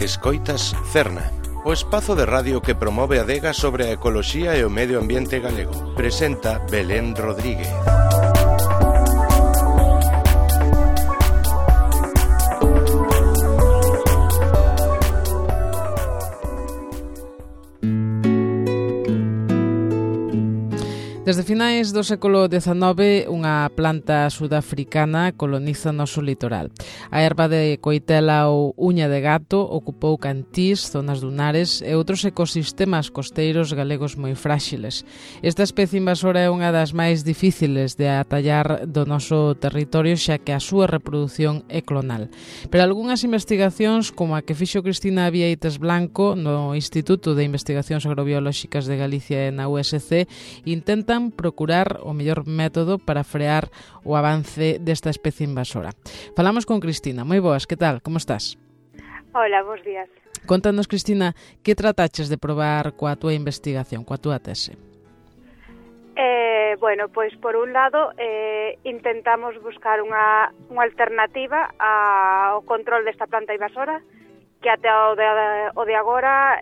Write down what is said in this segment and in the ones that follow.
Escoitas Cerna, o espazo de radio que promove a adega sobre a ecoloxía e o medio ambiente galego. Presenta Belén Rodríguez. Desde finais do século XIX, unha planta sudafricana coloniza o noso litoral. A herba de coitela ou uña de gato ocupou cantís, zonas dunares e outros ecosistemas costeiros galegos moi fráxiles. Esta especie invasora é unha das máis difíciles de atallar do noso territorio, xa que a súa reproducción é clonal. Pero algunhas investigacións, como a que fixo Cristina Vieites Blanco no Instituto de Investigacións Agrobiolóxicas de Galicia e na USC, intentan procurar o mellor método para frear o avance desta especie invasora. Falamos con Cristina. Moi boas, que tal? Como estás? Hola, bons días. Contanos, Cristina, que trataches de probar coa túa investigación, coa túa tese? Bueno, pois por un lado intentamos buscar unha alternativa ao control desta planta invasora, que até o de agora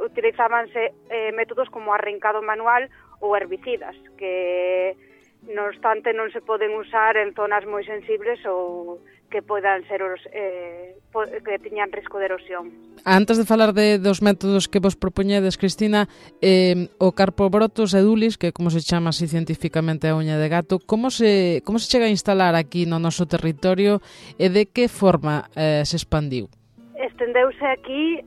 utilizábanse métodos como arrancado manual ou herbicidas, que non obstante non se poden usar en zonas moi sensibles ou que podan ser que tiñan risco de erosión. Antes de falar dos métodos que vos propoñedes, Cristina, o Carpobrotus edulis, que como se chama así científicamente a uña de gato, como se chega a instalar aquí no noso territorio e de que forma se expandiu? Estendeuse aquí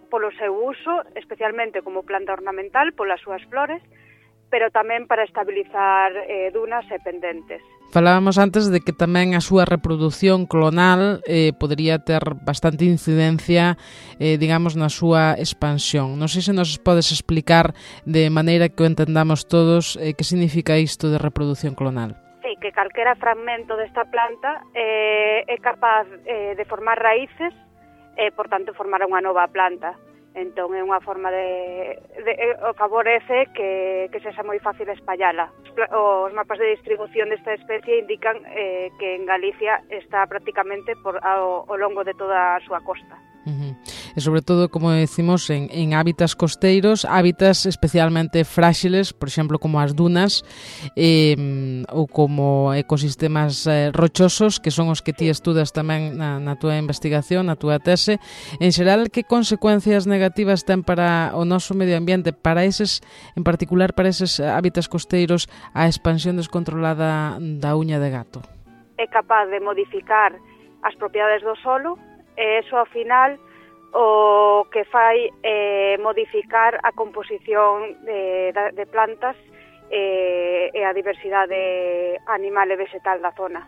polo seu uso, especialmente como planta ornamental, polas súas flores, pero tamén para estabilizar dunas e pendentes. Falábamos antes de que tamén a súa reproducción clonal podería ter bastante incidencia, digamos, na súa expansión. Non sei se nos podes explicar de maneira que o entendamos todos que significa isto de reproducción clonal. Sí, que calquera fragmento desta planta é capaz de formar raíces e, por tanto, formar unha nova planta. Entón, é unha forma o favorece que sexa moi fácil espallala. Os mapas de distribución desta especie indican que en Galicia está prácticamente ao longo de toda a súa costa. E sobre todo, como decimos, en hábitats costeiros, hábitats especialmente fráxiles, por exemplo, como as dunas ou como ecosistemas rochosos, que son os que ti estudas tamén na túa investigación, na túa tese. En xeral, que consecuencias negativas ten para o noso medio ambiente, para eses, en particular para eses hábitats costeiros, a expansión descontrolada da uña de gato? É capaz de modificar as propiedades do solo, e eso, ao final, o que fai é modificar a composición de plantas e a diversidade animal e vegetal da zona.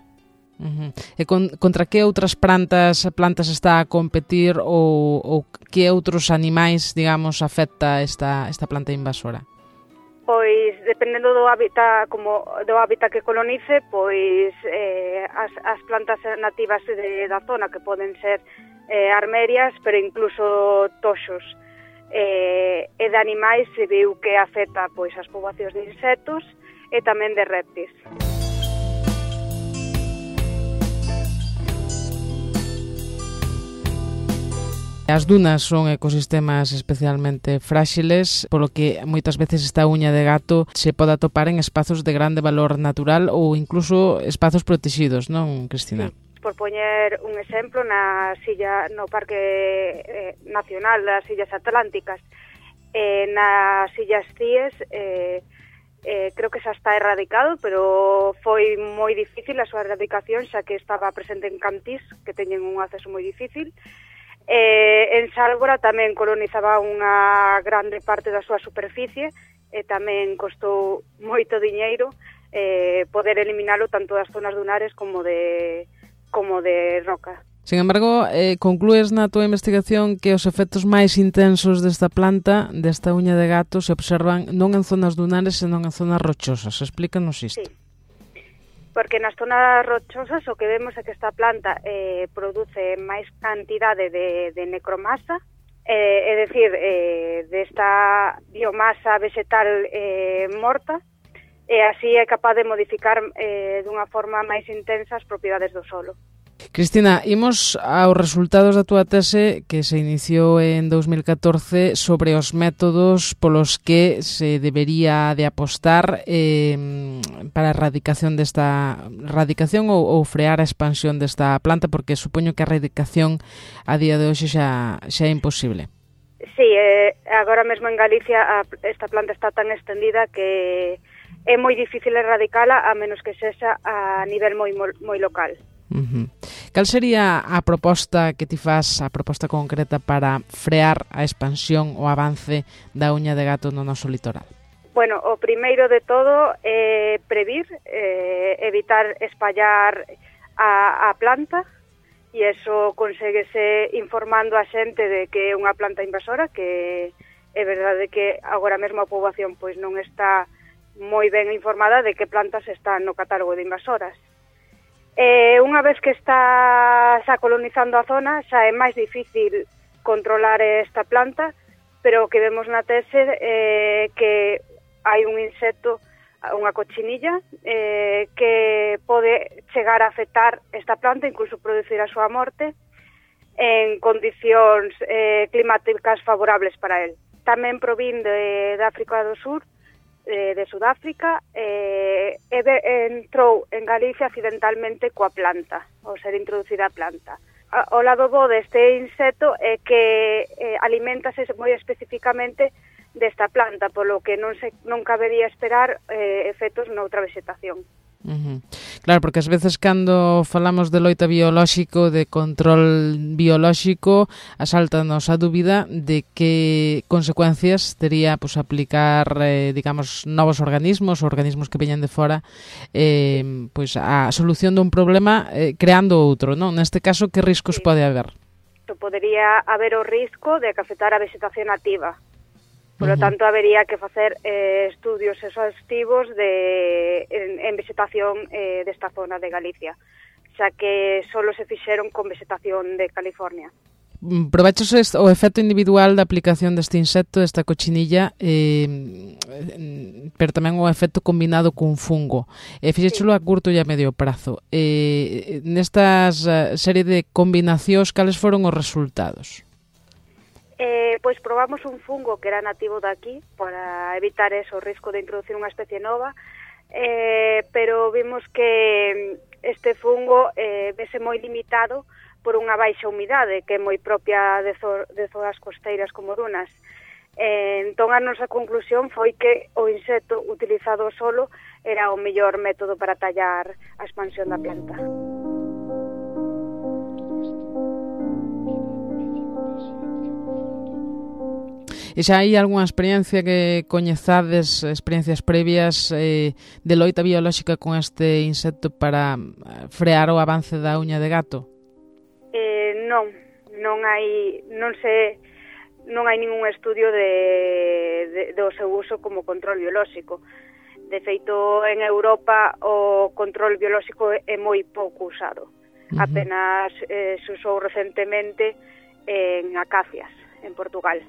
E contra que outras plantas está a competir ou que outros animais, digamos, afecta esta planta invasora? Pois, dependendo do hábitat que colonice, pois as plantas nativas da zona, que poden ser armerias, pero incluso toxos, e de animais se viu que afecta pois as poboacións de insectos e tamén de répteis. As dunas son ecosistemas especialmente fráxiles, polo que moitas veces esta uña de gato se pode atopar en espazos de grande valor natural ou incluso espazos protegidos, non, Cristina? Sí. Por poñer un exemplo, no Parque Nacional das Illas Atlánticas, nas Illas Cíes, creo que xa está erradicado, pero foi moi difícil a súa erradicación, xa que estaba presente en cantís, que teñen un acceso moi difícil. En Sálvora tamén colonizaba unha grande parte da súa superficie e tamén costou moito diñeiro poder eliminalo tanto das zonas dunares como de roca. Sin embargo, conclúes na túa investigación que os efectos máis intensos desta planta, desta uña de gato, se observan non en zonas dunares, senón en zonas rochosas. Explícanos isto. Sí. Porque nas zonas rochosas o que vemos é que esta planta produce máis cantidade de necromasa, é dicir, desta biomasa vegetal morta, e así é capaz de modificar dunha forma máis intensa as propiedades do solo. Cristina, imos aos resultados da túa tese que se iniciou en 2014 sobre os métodos polos que se debería de apostar para a erradicación ou frear a expansión desta planta, porque supoño que a erradicación a día de hoxe xa é imposible. Sí, agora mesmo en Galicia esta planta está tan extendida que é moi difícil erradicala a menos que sexa a nivel moi local. Cal sería a proposta que ti fas, a proposta concreta para frear a expansión ou avance da uña de gato no noso litoral? Bueno, o primeiro de todo é previr, evitar espallar a planta, e iso conseguese informando a xente de que é unha planta invasora, que é verdade que agora mesmo a poboación pois non está moi ben informada de que plantas están no catálogo de invasoras. Unha vez que está xa colonizando a zona, xa é máis difícil controlar esta planta, pero o que vemos na tese é que hai un insecto, unha cochinilla, que pode chegar a afectar esta planta, incluso producir a súa morte, en condicións climáticas favorables para el. Tamén provén de África do Sur, de Sudáfrica, entrou en Galicia accidentalmente coa planta, ao ser introducida a planta. O lado bo deste insecto é que aliméntase moi especificamente desta planta, polo que non cabería esperar efectos noutra vegetación. Claro, porque ás veces cando falamos de loita biolóxico, de control biolóxico, asaltanos a dúbida de que consecuencias tería pues, aplicar, digamos, novos organismos que veñan de fora, pues, a solución dun problema creando outro, non? Neste caso, que riscos pode haber? Podería haber o risco de que afectar a vegetación nativa. Por lo tanto, habería que facer estudios exhaustivos en vegetación desta zona de Galicia, xa que solo se fixeron con vegetación de California. Provechos o efecto individual da aplicación deste insecto, desta cochinilla, pero tamén o efecto combinado cun fungo. Fixéchelo a curto e a medio prazo. Nestas serie de combinacións, cales foron os resultados? Pois probamos un fungo que era nativo daqui para evitar o risco de introducir unha especie nova, pero vimos que este fungo vese moi limitado por unha baixa humidade que é moi propia de zonas costeiras como dunas. Entón a nosa conclusión foi que o insecto utilizado solo era o mellor método para tallar a expansión da planta. E xa hai algunha experiencia que coñezades, experiencias previas de loita biolóxica con este insecto para frear o avance da uña de gato? Non hai ningún estudio do seu uso como control biolóxico. De feito, en Europa o control biolóxico é moi pouco usado. Apenas se usou recentemente en acacias, en Portugal.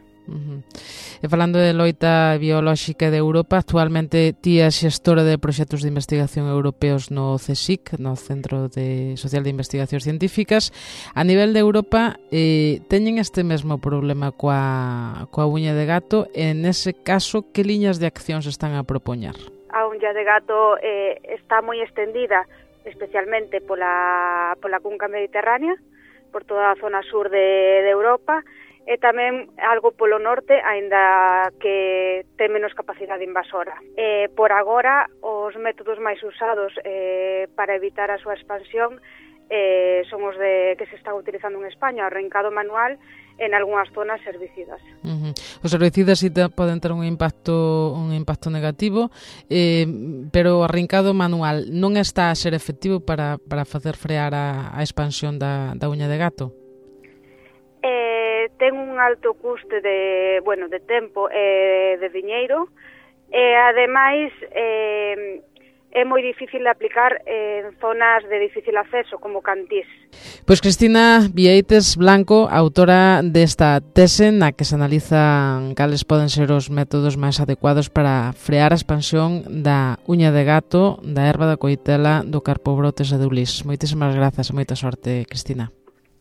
E falando de loita biolóxica de Europa, actualmente ti é xestora de proxectos de investigación europeos no CSIC, no Centro Social de Investigacións Científicas. A nivel de Europa, teñen este mesmo problema coa uña de gato, e nese caso, que liñas de acción se están a propoñer? A uña de gato está moi extendida, especialmente pola cunca mediterránea, por toda a zona sur de Europa, e tamén algo polo norte, aínda que ten menos capacidade invasora. Por agora, os métodos máis usados para evitar a súa expansión son os que se están utilizando en España, o arrancado manual en algunhas zonas herbicidas. Os herbicidas sí poden ter un impacto negativo, pero o arrancado manual non está a ser efectivo para facer frear a expansión da uña de gato? Ten un alto custe de tempo e de diñeiro, e ademais é moi difícil de aplicar en zonas de difícil acceso, como Cantís. Pois Cristina Vieites Blanco, autora desta tese na que se analizan cales poden ser os métodos máis adecuados para frear a expansión da uña de gato, da erva da coitela, do carpobrotes e do ulis. Moitísimas grazas e moita sorte, Cristina.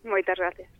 Moitas gracias.